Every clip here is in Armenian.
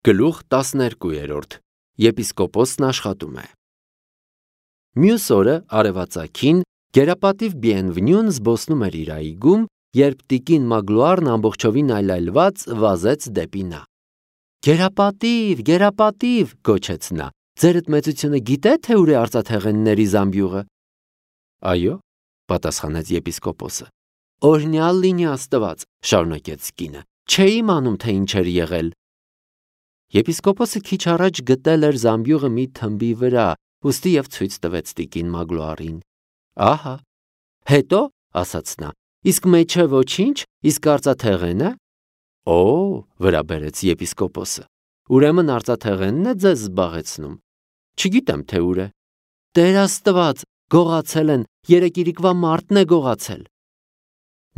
Գլուխ 12 Եպիսկոպոսն աշխատում է։ Մյուս օրը արևածագին գերապատիվ Բիենվնյուն զբոսնում էր իր այգում, երբ տիկին Մագլուարն ամբողջովին այլայլված վազեց դեպի նա։ Գերապատիվ, գերապատիվ, գոչեց նա, ձերդ մեծությունը գիտե, թե ուր է արծաթեղենների զամբյուղը։ Այո, պատասխանեց եպիսկոպոսը։ Օրհնյալ լինի Աստված, շարունակեց կինը, չէի իմանում, թե ինչ էր եղել։ Եպիսկոպոսը քիչ առաջ գտել էր զամբյուղը մի թմբի վրա, ուստի և ցույց տվեց տիկին Մագլուարին։ Ահա, հետո, ասաց նա, իսկ մեջը ոչինչ, իսկ արծաթեղենը։ Օ, վրա բերեց եպիսկոպոսը, ուրեմն արծաթեղենն է ձեզ զբաղեցնում։ Չգիտեմ, թե ուր է։ Տեր Աստված, գողացել են, երեկիրիկվա մարդն է գողացել։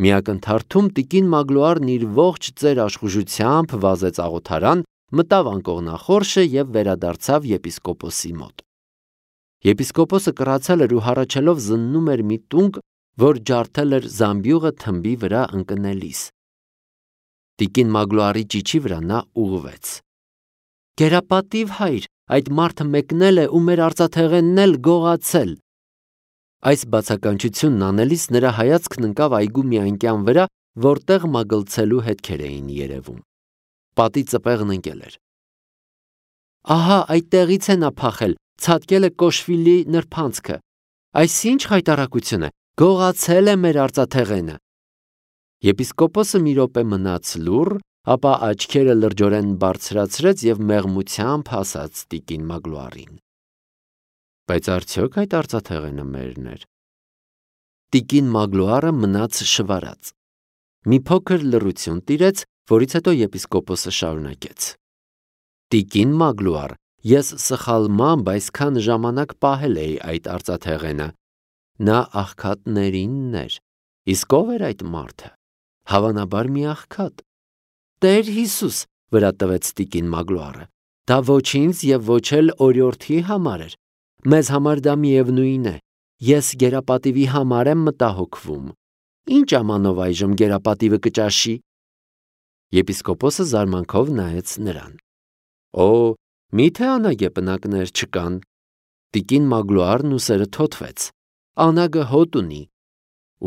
Մի ակնթարթում տիկին Մագլուարն իր ողջ ծեր աշխուժությամբ վազեց աղոթարան, մտավ անկողնախորշը և վերադարձավ եպիսկոպոսի մոտ։ Եպիսկոպոսը կռացել էր ու հառաչելով զննում էր մի տունկ, որ ջարդել էր զամբյուղը թմբի վրա ընկնելիս։ Տիկին Մագլուարի ճիչի վրա նա ուղղվեց։ Գերապատիվ հայր, այդ մարդը մեկնել է ու մեր արծաթեղենն էլ գողացել։ Այս բացականչությունն անելիս նրա հայացքն ընկավ այգու մի անկյան վրա, որտեղ մագլցելու հետքեր էին երևում։ Պատի ծպեղն ընկել էր։ Ահա այդտեղից է նա փախել, ցատկել է Կոշվիլի նրբանցքը։ Այս ինչ խայտառակություն է, գողացել է մեր արծաթեղենը։ Եպիսկոպոսը մի րոպե մնաց լուռ, ապա աչքերը լրջորեն բարձրացրեց և մեղմությամբ ասաց տիկին Մագլուարին. Բայց արդյոք այդ արծաթեղենը մերն էր։ Տիկին Մագլուարը մնաց շվարած։ Մի փոքր լռություն տիրեց, որից հետո եպիսկոպոսը շարունակեց. Տիկին Մագլուար, ես սխալմամբ այսքան ժամանակ պահել էի այդ արծաթեղենը։ Նա աղքատներինն էր։ Իսկ ով էր այդ մարդը։ Հավանաբար մի աղքատ։ Տեր Հիսուս, վրա տվեց տիկին Մագլուարը, դա ոչ ինձ և ոչ էլ օրիորդի համար էր։ Մեզ համար դա միևնույն է։ Ես գերապատիվի համար եմ մտահոգվում։ Ինչ ամանով այժմ գերապատիվը կճաշի։ Եպիսկոպոսը զարմանքով նայեց նրան։ Օ, միթե անագե պնակներ չկան։ Տիկին Մագլուարն ուսերը թոթվեց։ Անագը հոտ ունի։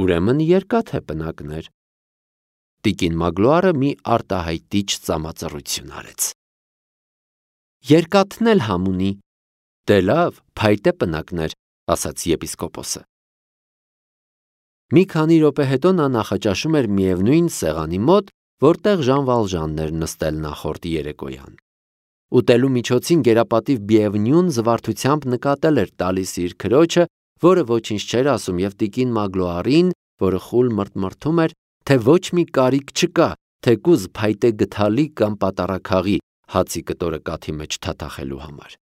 Ուրեմն երկաթե պնակներ։ Տիկին Մագլուարը մի արտահայտիչ ծամածռություն արեց։ Երկաթն էլ համ ունի։ Դե լավ, փայտե պնակներ, ասաց եպիսկոպոսը։ Մի քանի րոպե հետո նա նախաճաշում էր միևնույն սեղանի մոտ, որտեղ Ժան Վալժանն էր նստել նախորդ երեկոյան։ Ուտելու միջոցին գերապատիվ Բիենվնյուն զվարթությամբ նկատել էր տալիս իր քրոջը, որը ոչինչ չէր ասում, և տիկին Մագլուարին, որը խուլ մրթմրթում էր, թե ոչ մի կարիք չկա, թեկուզ փայտե գդալի կամ պատարագաղի հացի կտորը կաթի մեջ թաթախելու համար։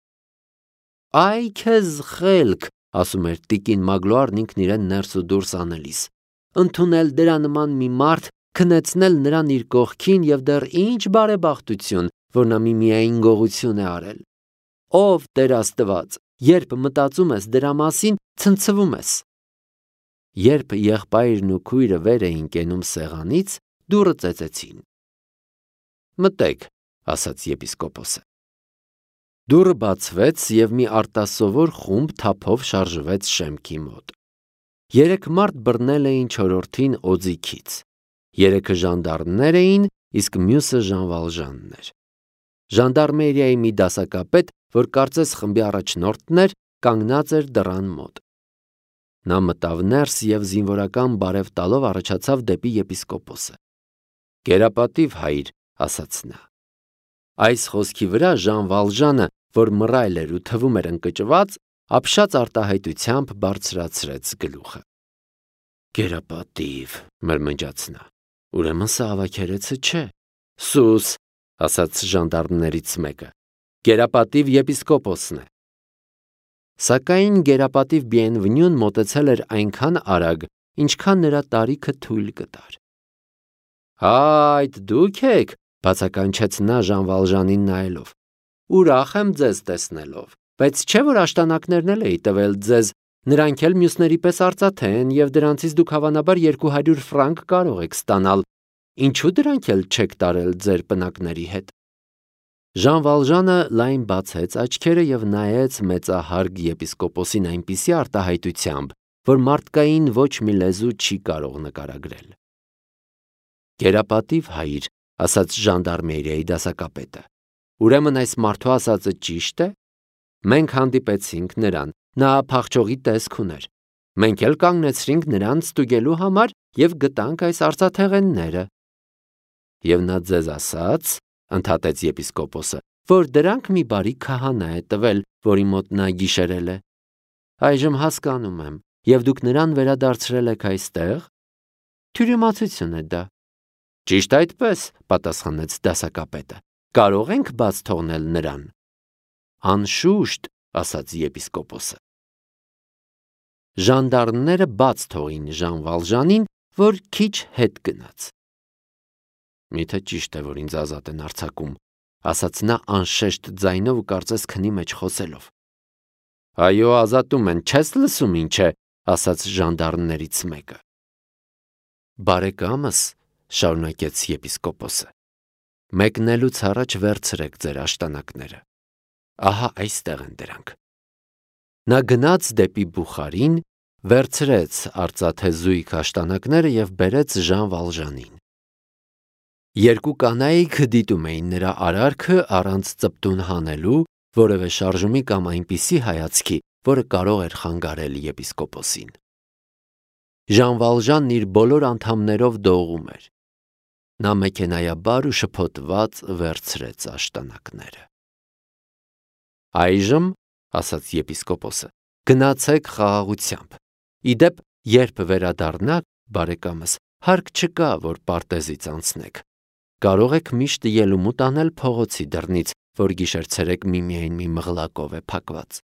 Այ քեզ խելք, ասում էր տիկին Մագլուարն ինքն իրեն ներս ու դուրս անելիս, ընդունել դրա նման մի մարդ, քնեցնել նրան իր կողքին և դեռ ինչ բարեբախտություն, որ նա միմիային գողություն է արել։ Ով Տեր Աստված, երբ մտածում ես դրա մասին, ցնցվում ես։ Երբ եղբայրն ու քույրը վեր էին կենում սեղանից, դուռը ծեծեցին։ Մտեք, ասաց եպիսկոպոսը։ Դուռը բացվեց և մի արտասովոր խումբ թափով շարժվեց շեմքի մոտ։ 3 մարդ բռնել էին չորրորդին օձիքից։ 3-ը ժանդարմներ էին, իսկ մյուսը Ժան Վալժանն էր։ Ժանդարմերիայի մի դասակապետ, որ կարծես խմբի առաջնորդն էր, կանգնած էր դռան մոտ։ Նա մտավ ներս և զինվորական բարև տալով առաջացավ դեպի եպիսկոպոսը։ Գերապատիվ հայր, ասաց նա։ Այս խոսքի վրա Ժան Վալժանը, որ մռայլ էր ու թվում էր ընկճված, ապշած արտահայտությամբ բարձրացրեց գլուխը։ Գերապատիվ, մրմնջաց նա, ուրեմն սա ավագերեցը չէ։ Սուս, ասաց ժանդարմներից մեկը, գերապատիվ եպիսկոպոսն է։ Սակայն գերապատիվ Բիենվնյուն մոտեցել էր այնքան արագ, ինչքան նրա տարիքը թույլ կտար։ Այդ դուք եք, բացականչեց նա Ժան Վալժանին նայելով։ Ուրախ եմ ձեզ տեսնելով, բայց չէ՞ որ աշտանակներն էլ էի տվել ձեզ, նրանք էլ մյուսների պես արծաթե են և դրանցից դուք հավանաբար 200 ֆրանկ կարող եք ստանալ, ինչու դրանք էլ չեք տարել ձեր պնակների հետ։ Ժան Վալժանը լայն բացեց աչքերը և նայեց մեծահարգ եպիսկոպոսին այնպիսի արտահայտությամբ, որ մարդկային ոչ մի լեզու չի կարող նկարագրել։ «Կերապատիվ հայր», ասաց ժանդարմերիայի դասակապետը, «ուրեմն այս մարդու ասածը ճիշտ է։ Մենք հանդիպեցինք նրան, նա փախչողի տեսք ուներ։ Մենք էլ կանգնեցրինք նրան ստուգելու համար և գտանք այս արծաթեղենները»։ «Եվ նա ձեզ ասաց, — ընդհատեց եպիսկոպոսը, — որ դրանք մի բարի քահանա է տվել, որի մոտ նա գիշերել է։ Այժմ հասկանում եմ, և դուք նրան վերադարձրել եք այստեղ։ Թյուրիմացություն է դա»։ «Ճիշտ այդպես», — պատասխանեց դասակապետը, «կարող ենք բաց թողնել նրան»։ «Անշուշտ», — ասաց եպիսկոպոսը։ Ժանդարմները բաց թողին Ժան Վալժանին, որ քիչ հետ գնաց։ «Միթե ճիշտ է, որ ինձ ազատ են արձակում», — ասաց նա անշեշտ ձայնով ու կարծես քնի մեջ խոսելով։ «Այո, ազատում են, չես լսում ինչ է», — ասաց ժանդարմներից մեկը։ «Բարեկամս», — շարունակեց եպիսկոպոսը, «մեկնելուց առաջ վերցրեք ձեր աշտանակները։ Ահա այստեղ են դրանք»։ Նա գնաց դեպի բուխարին, վերցրեց արծաթե զույգ աշտանակները և բերեց Ժան Վալժանին։ Երկու կանայք դիտում էին նրա արարքը առանց ծպտուն հանելու, որևէ շարժումի կամ այնպիսի հայացքի, որը կարող էր խանգարել եպիսկոպոսին։ Ժան Վալժանն իր բոլոր անդամներով դողում էր։ Նա մեքենայաբար ու շփոթված վերցրեց աշտանակները։ «Այժմ, — ասաց եպիսկոպոսը, — գնացեք խաղաղությամբ։ Ի դեպ, երբ վերադառնաք, բարեկամս, հարկ չկա, որ պարտեզից անցնեք։ Կարող եք միշտ ելումուտ անել փողոցի դռնից, որ գիշեր-ցերեկ միմիայն մի մղլակով է փակված»։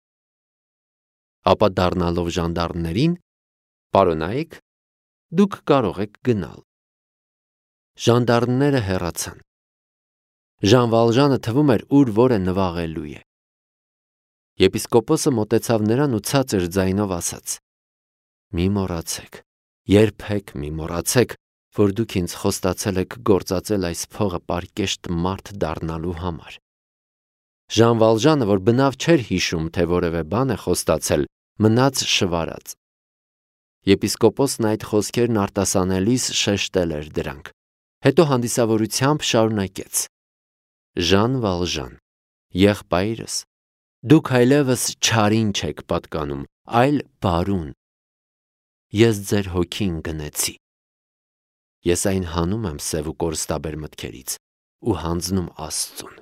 Ապա դառնալով ժանդարմներին. «Պարոնայք, դուք կարող եք գնալ»։ Ժանդարմները հեռացան։ Ժան Վալժանը թվում էր ուր որը նվաղելու է։ Եպիսկոպոսը մոտեցավ նրան ու ցածր ձայնով ասաց. «Մի մոռացեք, երբեք մի մոռացեք, որ դուք ինձ խոստացել եք գործածել այս փողը պարկեշտ մարդ դառնալու համար»։ Ժան Վալժանը, որ բնավ չէր հիշում, թե որևէ բան է խոստացել, մնաց շվարած։ Եպիսկոպոսն այդ խոսքերն արտասանելիս շեշտել էր դրանք, հետո հանդիսավորությամբ շարունակեց. «Ժան Վալժան, եղբայրս, դուք այլևս չարին չեք պատկանում, այլ բարուն։ Ես ձեր հոգին գնեցի։ Ես այն հանում եմ սև ու կորստաբեր մտքերից ու հանձնում Աստծուն»։